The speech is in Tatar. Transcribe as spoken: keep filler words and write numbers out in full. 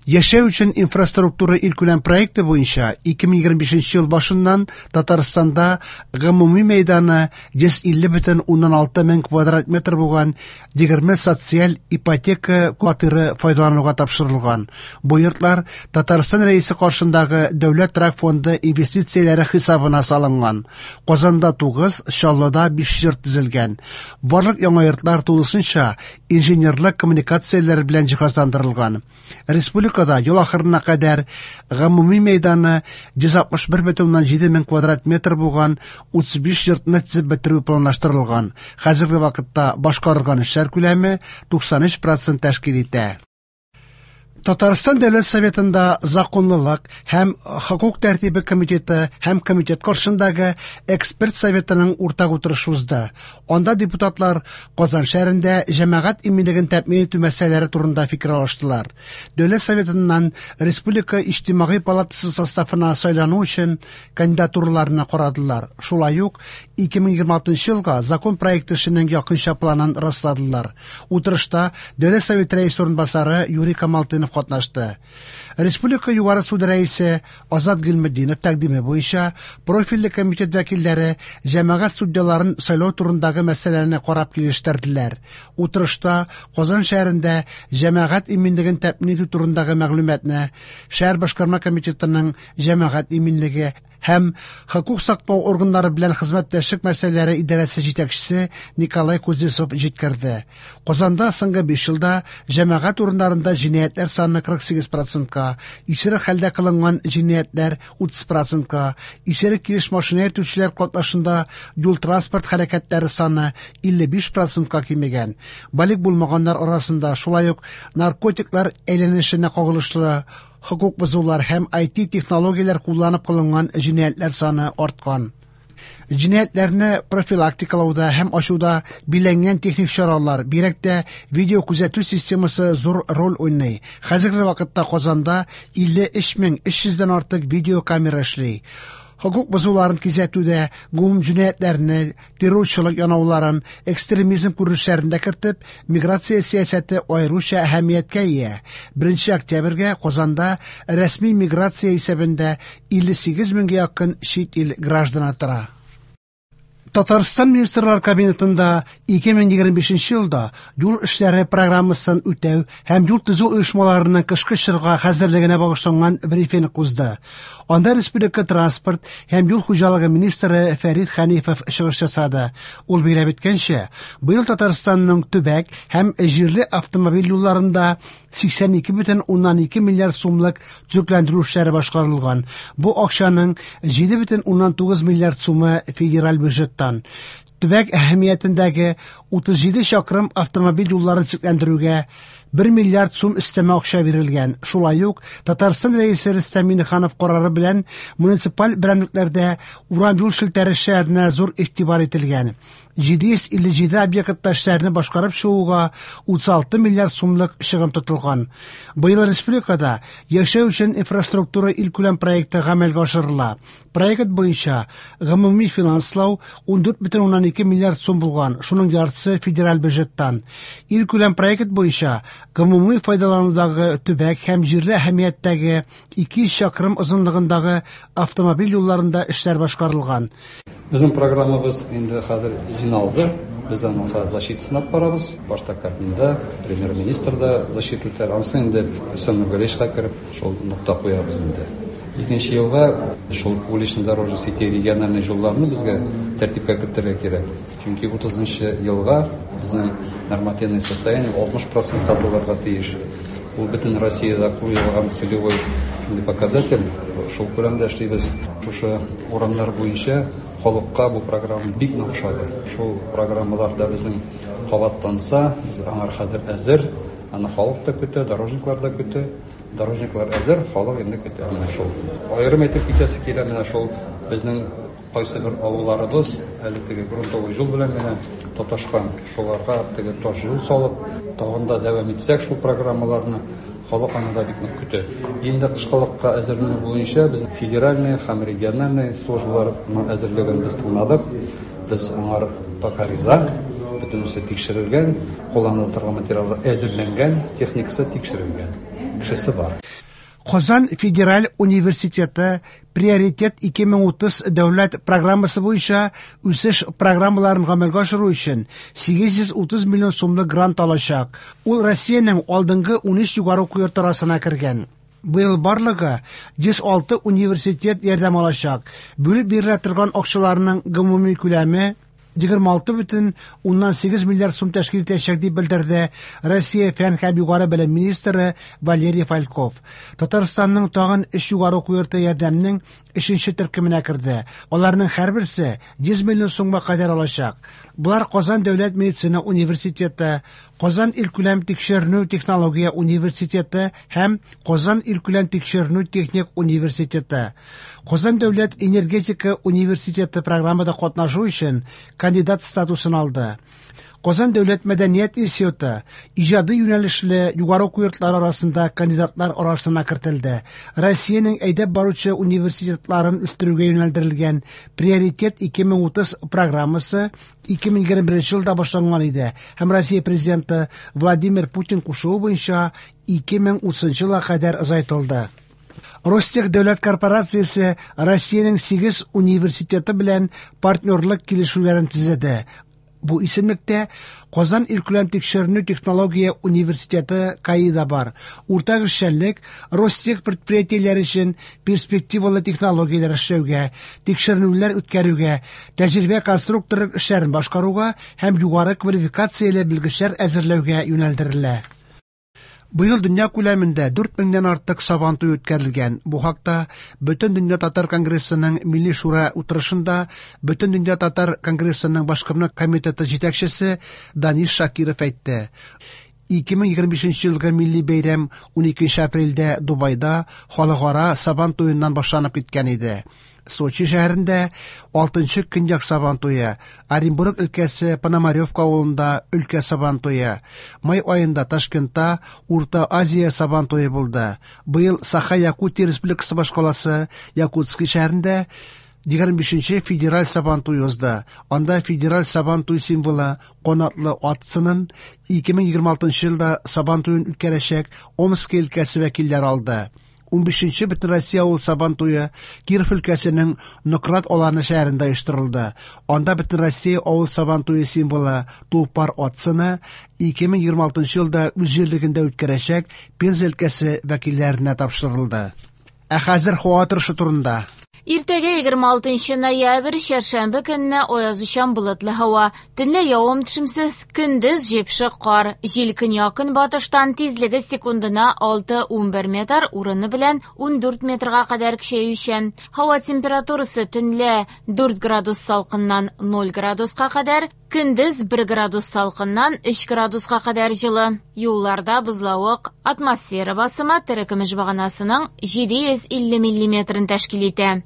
Яшәү өчен инфраструктура илкүләм проекты буенча ике мең егерме бишенче ел башыннан Татарстанда гомуми мәйданы йөз илле бөтен уннан алты мең квадрат метр булган егерме социаль ипотека фатиры файдалануга тапшырылган. Бу йортлар Татарстан Рәисе каршындагы Дәүләт торак фонды инвестицияләре хисабына салынган. Казанда тугыз, Чаллыда биш йорт төзелгән. Барлык яңа йортлар тулысынча инженерлык коммуникацияләре белән җиһазландырылган. Республикада ел ахырына кадәр гомуми мәйданы йөз алтмыш бер бөтен уннан җиде мең квадрат метр булган утыз биш йортны төзеп бетерү планлаштырылган. Хәзерге вакытта башкарылган эшләр күләме туксан өч процент тәшкил итә. Татарстан Дәүләт Советында законлылык һәм хокук тәртибе комитеты һәм комитет каршындагы эксперт советының уртак утырышы узды. Анда депутатлар Казан шәһәрендә җәмәгать иминлеген тәэмин итү мәсьәләләре турында фикер алыштылар. Дәүләт Советыннан Республика Иҗтимагый палатасы составына сайлану өчен кандидатураларны карадылар. Шулай ук ике мең егерме алтынчы елга закон проекты эшенең якынча планын расладылар. Утырышта Дәүләт Советы рәисе урынбасары Юрий Камалтынов катнашты. Республика Югары суды рәисе Азат Гыйльметдинов тәкъдиме буенча профильле комитет вәкилләре җәмәгать судьяларын сайлау турындагы мәсьәләне карап килештерделәр. Утырышта Казан шәһәрендә җәмәгать иминлеген тәэмин итү турындагы мәгълүматны шәһәр башкарма комитетының җәмәгать иминлеге һәм хокук саклау органнары белән хезмәттәшлек мәсьәләләре идарәсе җитәкчесе Николай Кузнецов җиткерде. Казанда соңгы биш елда җәмәгать урыннарында җинаятьләр саны кырык сигез процентка, исерек хәлдә кылынган җинаятьләр утыз процентка, исерек килеш машина йөртүчеләр катнашында юл-транспорт хәрәкәтләре саны илле биш процентка кимегән. Балигъ булмаганнар арасында шулай ук наркотиклар әйләнешенә кагылышлы хокук бозулар һәм ай ти технологияләр кулланып кылынган җинаятьләр саны арткан. Җинаятьләрне профилактикалауда һәм ачуда биләнгән техник чаралар, бигрәк тә видео күзәтү системасы зур роль уйный. Хәзерге вакытта Казанда илле өч мең өч йөздән артык видеокамера эшли. Хокук бозуларын кисәтүдә гумум җинаятьләрне, террорчылык янауларын, экстремизм күренешләрен дә кертеп, миграция сәясәте аеруча әһәмияткә ия. Беренче октябрьгә Казанда рәсми миграция исәбендә илле сигез меңгә якын чит ил гражданы тора. Татарстан Министрлар Кабинетында ике мең егерме бишенче елда юл эшләре программасын үтәү һәм юл төзү оешмаларының кышкы чорга хәзерлегенә багышланган брифинг узды. Анда Республика транспорт һәм юл хуҗалыгы министры Фәрит Хәнифов чыгыш ясады. Ул билгеләп үткәнчә, быел Татарстанның төбәк һәм җирле автомобиль юлларында сиксән ике бөтен уннан ике миллиард сумлык төзекләндерү эшләре башкарылган. Бу акчаның җиде бөтен уннан тугыз миллиард сумы федераль бюджеттан. Төбәк әһәмиятендәге утыз җиде чакрым автомобиль юлларын төзекләндерүгә бер миллиард сум өстәмә акча бирелгән. Шулай ук Татарстан Рәисе Рөстәм Миңнеханов карары белән муниципаль берәмлекләрдә урам юл челтәре эшләренә зур игътибар ителгән. Җиде йөз илле җиде объектта эшләрне башкарып чыгуга утыз алты миллиард сумлык чыгым тотылган. Быел республикада яшәү өчен инфраструктура илкүләм проекты гамәлгә ашырыла. Проект буенча гомуми финанслау ундүрт бөтен уннан ике миллиард сум булган, шуның яртысы федераль бюджеттан. Илкүләм проект буенча гомуми файдаланудагы төбәк һәм җирле әһәмияттәге ике йөз чакрым озынлыгындагы автомобиль юлларында эшләр башкарылган. Безнең программабыз инде хәзер җыйналды. Без аның хәзер защитасын алып барабыз. Башта Кабминда, премьер-министр да защита үтәр. Анысы инде Рөстәм Нургалиевичка кереп, шул нокта куябыз инде. Икенче елга шул уличный дорожный сети региональный юлларны безгә тәртипкә кертергә кирәк. Чөнки утызынчы елга безнең нормативный состояние алтмыш процентка булырга тиеш. Ул бөтен Россиядә куелган целевой шундый показатель. Шул күләмдә эшлибез. Шушы урамнар буенча халыкка бу программа бик нык ошады. Шул программалар да безнең кабатланса, без аңар хәзер әзер. Аны халык та көтә, дорожниклар да көтә. Дорожниклар әзер, халык инде көтә. Менә шул. Аерым әйтеп китәсе килә, менә шул безнең кайсы бер авылларыбыз әле теге грунтовый юл белән генә тоташкан. Шуларга теге таш юл салып, тагын да дәвам итсәк шул программаларны, халык аны да бик нык көтә. Инде кышкылыкка әзерләнү буенча без федеральный һәм региональный службаларның әзерлеген без тыңладык. Без аңар пока риза, бөтенесе тикшерелгән, кулланыла торган материаллар әзерләнгән, техникасы тикшерелгән, кешесе бар. Казан федераль университеты Приоритет ике мең утыз дәүләт программасы буенча үсеш программаларын гамәлгә ашыру өчен сигез йөз утыз миллион сумлык грант алачак. Ул Россиянең алдынгы унөч югары уку йорты арасына кергән. Быел барлыгы йөз алты университет ярдәм алачак. Бүлеп бирелә торган акчаларның гомуми күләме егерме алты бөтен уннан сигез миллиард сум тәшкил итәчәк, дип белдерде Россия фән һәм югары белем министры Валерий Фальков. Татарстанның тагын өч югары уку йорты ярдәмнең өченче төркеменә керде. Аларның һәрберсе йөз миллион сумга кадәр алачак. Булар Казан дәүләт медицина университеты, Казан илкүләм тикшеренү технология университеты һәм Казан илкүләм тикшеренү техник университеты. Казан дәүләт энергетика университеты программада катнашу өчен кандидат статусын алды. Казан дәүләт мәдәният институты иҗади юнәлешле югары уку йортлары арасында кандидатлар арасына кертелде. Россиянең әйдәп баручы университетларын үстерүгә юнәлдерелгән Приоритет ике мең утыз программасы ике мең егерме беренче елда башланган иде һәм Россия президенты Владимир Путин кушуы буенча ике мең утызынчы елга кадәр озайтылды. Ростех дәүләт корпорациясе Россиянең сигез университеты белән партнерлык килешүләрен төзеде. Бу исемлектә Казан илкүләм тикшеренү технология университеты КАИда бар. Уртак эшчәнлек Ростех предприятиеләре өчен перспективалы технологияләр эшләүгә, тикшеренүләр үткәрүгә, тәҗрибә конструкторлык эшләрен башкаруга һәм югары квалификацияле белгечләр әзерләүгә юнәлдерелә. Быел дөнья күләмендә дүрт меңнән артык Сабантуй үткәрелгән. Бу хакта Бөтен дөнья татар конгрессының Милли шура утырышында Бөтен дөнья татар конгрессының башкарма комитеты җитәкчесе Данис Шакиров әйтте. Ике мең егерме бишенче елгы милли бәйрәм уникенче апрельдә Дубайда халыкара Сабантуеннан башланып киткән иде. Сочи шәһәрендә алтынчы көньяк Сабантуе, Оренбург өлкәсе Пономаревка авылында өлкә Сабантуе, май аенда Ташкентта Урта Азия Сабантуе булды. Быел Саха-Якутия Республикасы башкаласы Якутский шәһәрендә егерме бишенче федераль Сабантуй узды. Анда федераль Сабантуй символы канатлы ат сынын ике мең егерме алтынчы елда Сабантуен үткәрәчәк Омск өлкәсе вәкилләре алды. Унбишенче Бөтенроссия авыл Сабантуе Киров өлкәсенең Нократ Аланы шәһәрендә оештырылды. Анда Бөтенроссия авыл Сабантуе символы Тулпар ат сыны ике мең егерме алтынчы елда үз җирлегендә үткәрәчәк Пенза өлкәсе вәкилләренә тапшырылды. Ә хәзер һава торышы турында. Иртәгә егерме алтынчы ноябрь, чәршәмбе көнне аязучан болытлы һава. Төнлә явым төшемсез, көндез җепшек кар. Җил көньяк-көнбатыштан тизлеге секундына алты унбер метр, урыны белән ундүрт метрга кадәр көчәючән. Һава температурасы төнлә дүрт градус салкыннан ноль градуска кадәр, көндез бер градус салкыннан өч градуска кадәр җылы. Юлларда бозлавык, атмосфера басымы терекөмеш баганасының җиде йөз илле миллиметрын тәшкил итә.